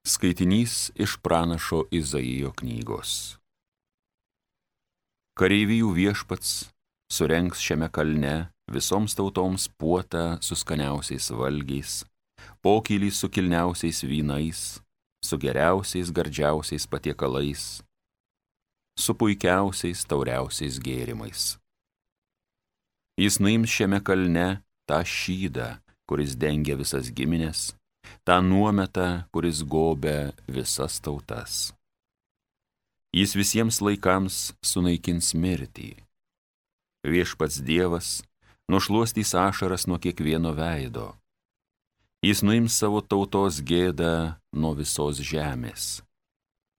Skaitinys iš pranašo Izaijo knygos. Kareivijų viešpats surengs šiame kalne visoms tautoms puotą su skaniausiais valgiais, pokylį su kilniausiais vynais, su geriausiais gardžiausiais patiekalais, su puikiausiais tauriausiais gėrimais. Jis nuims šiame kalne tą šydą, kuris dengia visas giminės, tą nuometą, kuris gobia visas tautas. Jis visiems laikams sunaikins mirtį. Viešpats Dievas nušluostys ašaras nuo kiekvieno veido. Jis nuims savo tautos gėdą nuo visos žemės.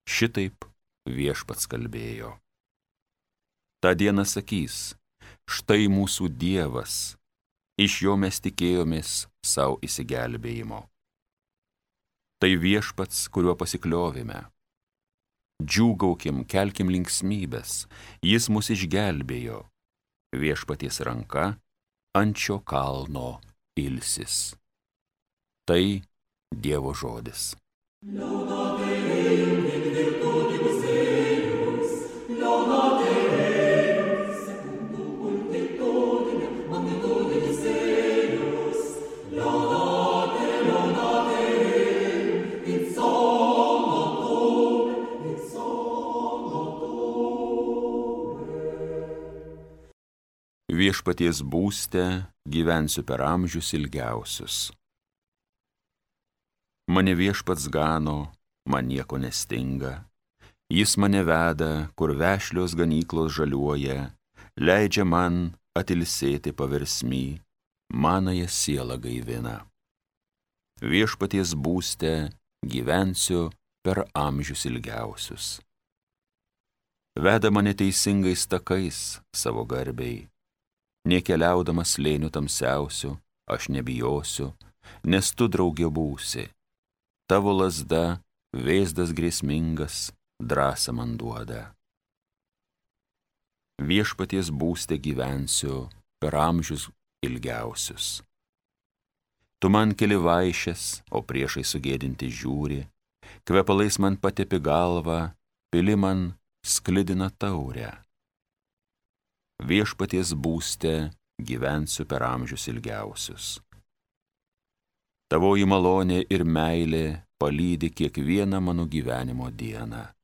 Šitaip Viešpats kalbėjo. Ta diena sakys: štai mūsų Dievas, iš jo mes tikėjomės savo išsigelbėjimo. Tai Viešpats, kuriuo pasikliovėme. Džiūgaukim, kelkim linksmybės, jis mus išgelbėjo. Viešpaties ranka ant šio kalno ilsis. Tai Dievo žodis. Viešpaties būste gyvensiu per amžius ilgiausius. Mane Viešpats gano, man nieko nestinga. Jis mane veda, kur vešlios ganyklos žaliuoja, leidžia man atilsėti paversmy, manąją sielą gaivina. Viešpaties būste gyvensiu per amžius ilgiausius. Veda mane teisingais takais savo garbei. Nekeliaudamas slėnių tamsiausių, aš nebijosiu, nes tu drauge būsi. Tavo lazda, vėzdas grėsmingas, drąsą man duoda. Viešpaties būste gyvensiu per amžius ilgiausius. Tu man keli vaišes, o priešai sugėdinti žiūri, kvepalais man patepi galvą, pili man sklidina taurę. Viešpaties būste gyvensiu per amžius ilgiausius. Tavoji malonė ir meilė palydi kiekvieną mano gyvenimo dieną.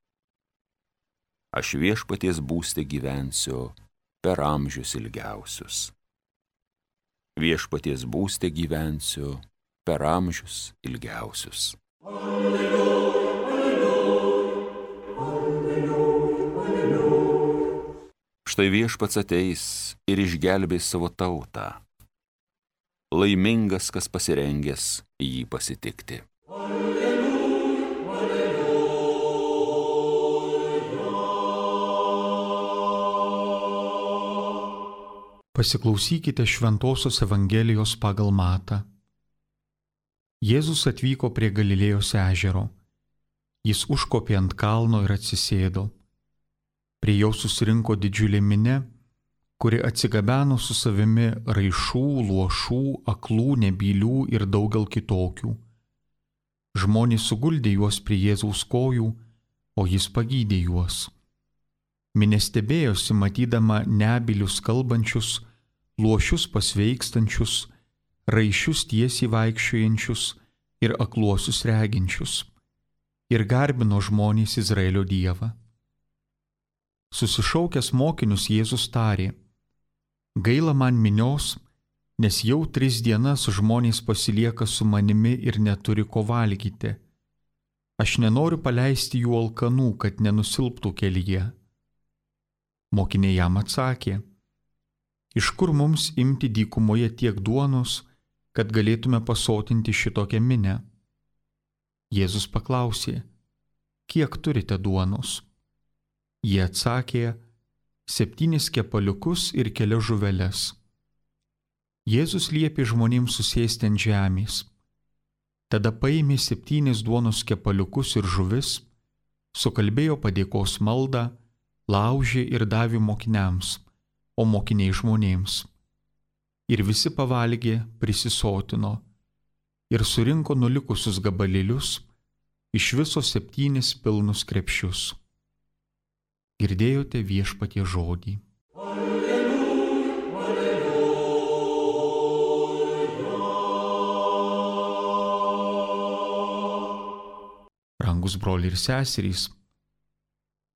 Aš Viešpaties būste gyvensiu per amžius ilgiausius. Viešpaties būste gyvensiu per amžius ilgiausius. Alleluja. Štai Viešpats ateis ir išgelbės savo tautą. Laimingas, kas pasirengęs jį pasitikti. Alleluja, alleluja. Pasiklausykite Šventosios Evangelijos pagal Matą. Jėzus atvyko prie Galilėjos ežero. Jis užkopė ant kalno ir atsisėdo. Prie jo susirinko didžiulė minia, kuri atsigabeno su savimi raišų, luošų, aklų, nebylių ir daugel kitokių. Žmonės suguldė juos prie Jėzaus kojų, o jis pagydė juos. Minia stebėjosi, matydama nebylius kalbančius, luošius pasveikstančius, raišius tiesiai vaikščiojančius ir akluosius reginčius. Ir garbino žmonės Izraelio Dievą. Susišaukęs mokinius Jėzus tarė: gaila man minios, nes jau 3 dienas žmonės pasilieka su manimi ir neturi ko valgyti. Aš nenoriu paleisti jų alkanų, kad nenusilptų kelyje. Mokiniai jam atsakė: iš kur mums imti dykumoje tiek duonos, kad galėtume pasotinti šitokią minią? Jėzus paklausė: kiek turite duonos? Jie atsakė: 7 kepaliukus ir kelias žuveles. Jėzus liepė žmonėms susėsti ant žemės. Tada paėmė 7 duonos kepaliukus ir žuvis, sukalbėjo padėkos maldą, laužė ir davė mokiniams, o mokiniai žmonėms. Ir visi pavalgė, prisisotino, ir surinko nulikusius gabalėlius, iš viso 7 pilnus krepšius. Girdėjote Viešpaties žodį. Brangus broliai ir seserys,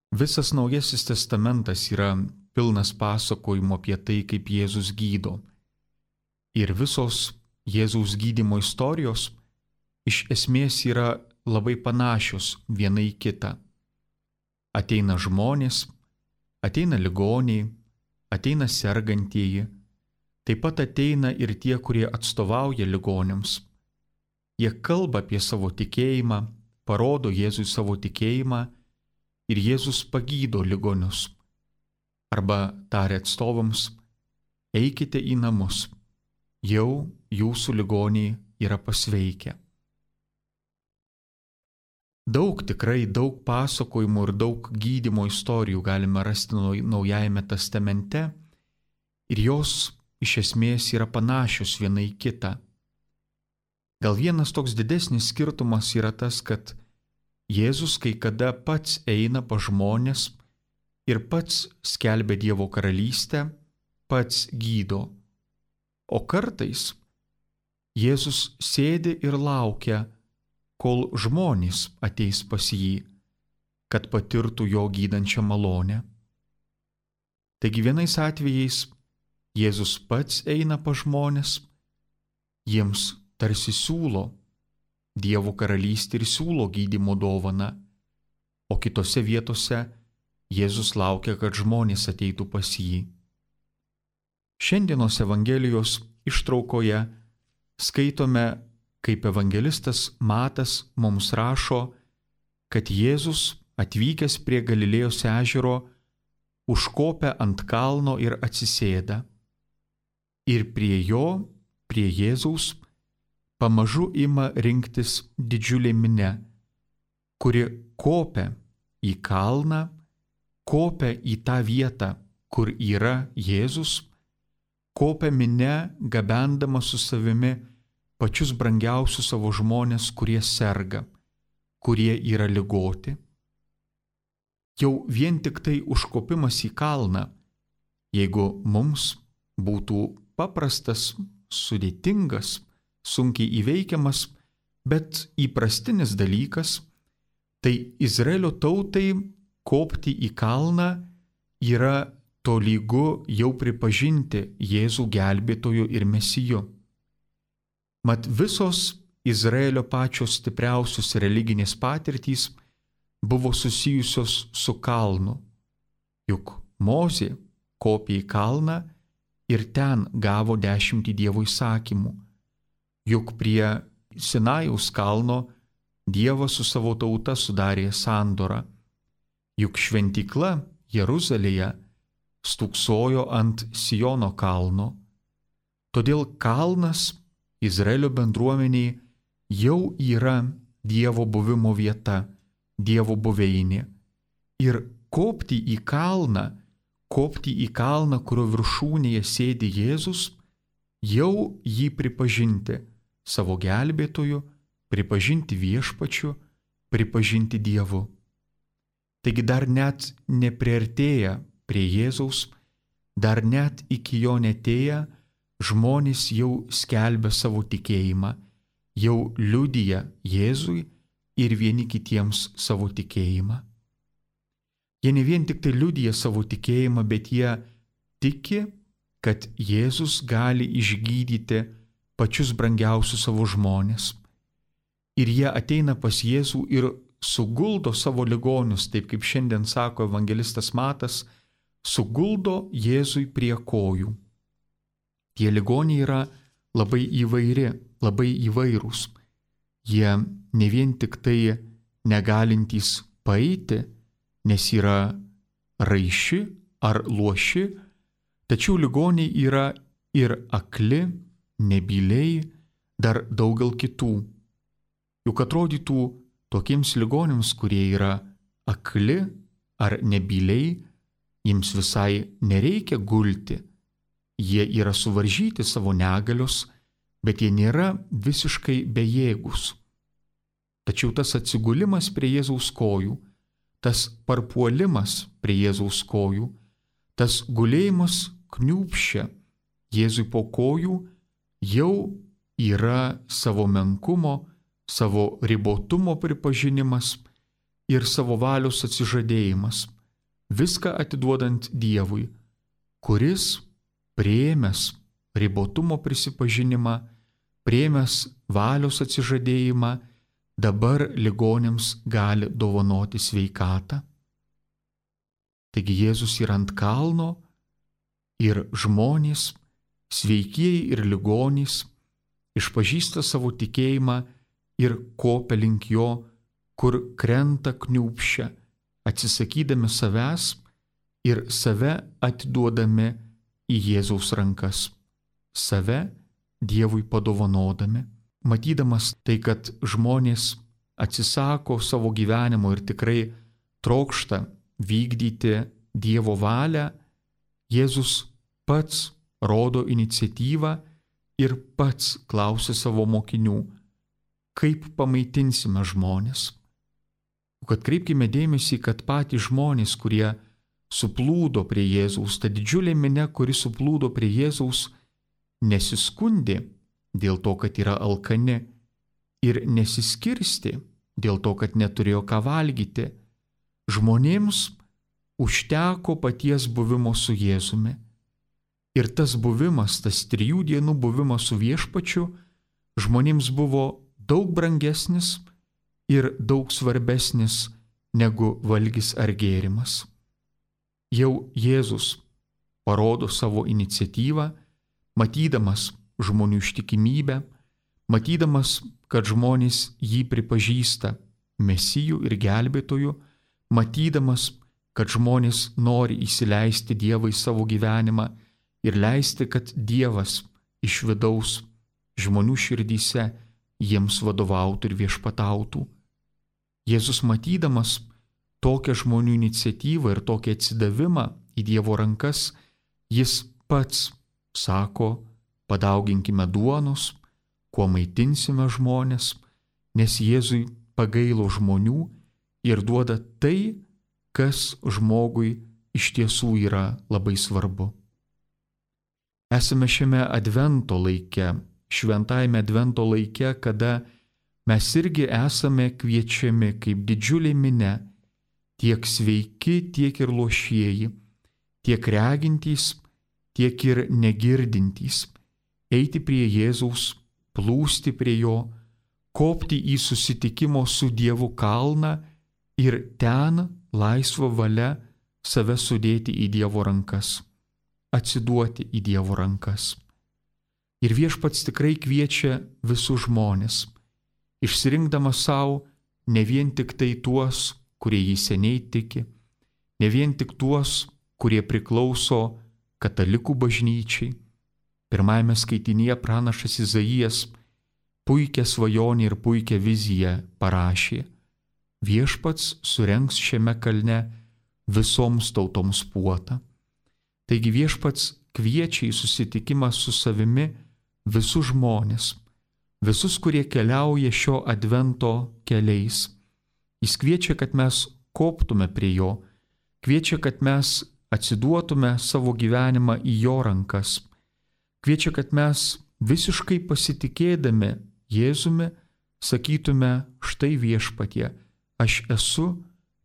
visas Naujasis testamentas yra pilnas pasakojimo apie tai, kaip Jėzus gydo. Ir visos Jėzaus gydymo istorijos iš esmės yra labai panašios viena į kitą. Ateina žmonės, ateina ligoniai, ateina sergantieji, taip pat ateina ir tie, kurie atstovauja ligoniams. Jie kalba apie savo tikėjimą, parodo Jėzui savo tikėjimą ir Jėzus pagydo ligonius. Arba tarė atstovams, eikite į namus, jau jūsų ligoniai yra pasveikę. Tikrai daug pasakojimų ir daug gydymo istorijų galime rasti Naujajame testamente ir jos iš esmės yra panašios viena į kitą. Gal vienas toks didesnis skirtumas yra tas, kad Jėzus kai kada pats eina pas žmones ir pats skelbia Dievo karalystę, pats gydo. O kartais Jėzus sėdi ir laukia, kol žmonės ateis pas jį, kad patirtų jo gydančią malonę. Taigi vienais atvejais Jėzus pats eina pas žmonės, jiems tarsi siūlo Dievo karalystę ir siūlo gydymo dovaną, o kitose vietose Jėzus laukia, kad žmonės ateitų pas jį. Šiandienos Evangelijos ištraukoje skaitome, kaip evangelistas Matas mums rašo, kad Jėzus atvykęs prie Galilėjos ežero užkopia ant kalno ir atsisėda. Ir prie Jėzaus, pamažu ima rinktis didžiulė minia, kuri kopia į kalną, kopia į tą vietą, kur yra Jėzus, kopia minia, gabendama su savimi pačius brangiausius savo žmonės, kurie serga, kurie yra ligoti. Jau vien tik tai užkopimas į kalną, jeigu mums būtų paprastas, sudėtingas, sunkiai įveikiamas, bet įprastinis dalykas, tai Izraelio tautai kopti į kalną yra tolygu jau pripažinti Jėzų gelbėtoju ir mesiju. Mat visos Izraelio pačios stipriausios religinės patirtys buvo susijusios su kalnu. Juk Mozė kopė į kalną ir ten gavo 10 Dievo įsakymų. Juk prie Sinajaus kalno Dievas su savo tauta sudarė sandorą. Juk šventykla Jeruzalėje stūksojo ant Siono kalno. Todėl kalnas Izraelio bendruomeniai jau yra Dievo buvimo vieta, Dievo buveinė. Ir kopti į kalną, kurio viršūnėje sėdi Jėzus, jau jį pripažinti savo gelbėtoju, pripažinti viešpačiu, pripažinti Dievu. Taigi dar net nepriartėję prie Jėzaus, dar net iki jo netėję, žmonės jau skelbia savo tikėjimą, jau liudija Jėzui ir vieni kitiems savo tikėjimą. Jie ne vien tik tai liudija savo tikėjimą, bet jie tiki, kad Jėzus gali išgydyti pačius brangiausius savo žmonės. Ir jie ateina pas Jėzų ir suguldo savo ligonius, taip kaip šiandien sako evangelistas Matas, suguldo Jėzui prie kojų. Tie ligoniai yra labai įvairūs. Jie ne vien tik tai negalintys paeiti, nes yra raiši ar luoši, tačiau ligoniai yra ir akli, nebyliai, dar daugel kitų. Juk atrodytų tokiems ligoniams, kurie yra akli ar nebyliai, jiems visai nereikia gulti. Jie yra suvaržyti savo negalios, bet jie nėra visiškai bejėgus. tačiau tas atsigulimas prie Jėzaus kojų, tas parpuolimas prie Jėzaus kojų, tas gulėjimas kniūbsčia Jėzui po kojų jau yra savo menkumo, savo ribotumo pripažinimas ir savo valios atsižadėjimas, viską atiduodant Dievui, kuris priėmęs ribotumo prisipažinimą, priėmęs valios atsižadėjimą, dabar ligoniams gali dovanoti sveikatą. Taigi Jėzus yra ant kalno ir žmonės, sveikieji ir ligonys, išpažįsta savo tikėjimą ir kopia link jo, kur krenta kniūbsčia, atsisakydami savęs ir save atiduodami į Jėzaus rankas, save Dievui padovanodami. Matydamas tai, kad žmonės atsisako savo gyvenimo ir tikrai trokšta vykdyti Dievo valią, Jėzus pats rodo iniciatyvą ir pats klausia savo mokinių, kaip pamaitinsime žmonės. Kad kreipkime dėmesį, kad patys žmonės, kurie suplūdo prie Jėzaus, ta didžiulė minia, kuri suplūdo prie Jėzaus, nesiskundė dėl to, kad yra alkani ir nesiskirstė dėl to, kad neturėjo ką valgyti. Žmonėms užteko paties buvimo su Jėzumi. Ir tas buvimas, tas 3 dienų buvimas su Viešpačiu, žmonėms buvo daug brangesnis ir daug svarbesnis negu valgis ar gėrimas. Jau Jėzus parodo savo iniciatyvą, matydamas žmonių ištikimybę, matydamas, kad žmonės jį pripažįsta Mesiju ir gelbėtoju, matydamas, kad žmonės nori įsileisti Dievą į savo gyvenimą ir leisti, kad Dievas iš vidaus žmonių širdyse jiems vadovautų ir viešpatautų. Jėzus matydamas tokią žmonių iniciatyvą ir tokį atsidavimą į Dievo rankas, jis pats sako, padauginkime duonos, kuo maitinsime žmonės, nes Jėzui pagailo žmonių ir duoda tai, kas žmogui iš tiesų yra labai svarbu. Esame šiame advento laike, šventajame advento laike, kada mes irgi esame kviečiami kaip didžiulė minia, tiek sveiki, tiek ir lošieji, tiek regintys, tiek ir negirdintys, eiti prie Jėzaus, plūsti prie jo, kopti į susitikimo su Dievu kalną ir ten laisva valia save sudėti į Dievo rankas, atsiduoti į Dievo rankas. Ir Viešpats tikrai kviečia visus žmonės, išsirinkdamas savo ne vien tik tai tuos, kurie jį seniai tiki, ne vien tik tuos, kurie priklauso katalikų bažnyčiai. Pirmajame skaitinyje pranašas Izaijas puikią svajonę ir puikią viziją parašė. Viešpats surengs šiame kalne visoms tautoms puotą. Taigi Viešpats kviečia į susitikimą su savimi visus žmonės, visus, kurie keliauja šio advento keliais. Jis kviečia, kad mes koptume prie jo, kviečia, kad mes atsiduotume savo gyvenimą į jo rankas, kviečia, kad mes visiškai pasitikėdami Jėzumi sakytume, štai Viešpatie, aš esu,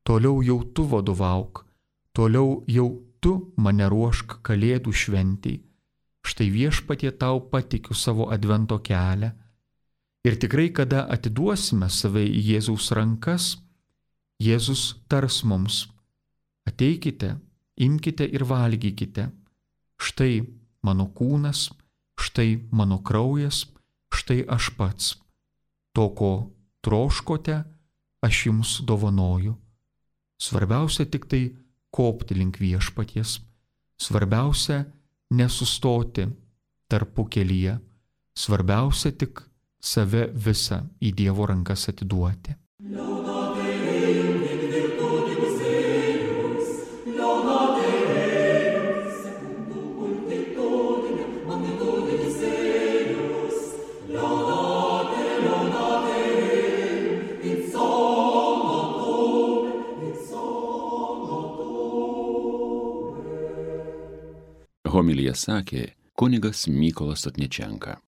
toliau jau tu vadovauk, toliau jau tu mane ruošk Kalėdų šventei, štai Viešpatie tau patikiu savo advento kelią. Ir tikrai, kada atiduosime save į Jėzaus rankas, Jėzus tars mums, ateikite, imkite ir valgykite, štai mano kūnas, štai mano kraujas, štai aš pats. To, ko troškote, aš jums dovanoju. Svarbiausia tik tai kopti link Viešpaties. Svarbiausia nesustoti tarpukelyje. Svarbiausia tik save visą į Dievo rankas atiduoti. It's Homiliją sakė kunigas Mykolas Sotničenka.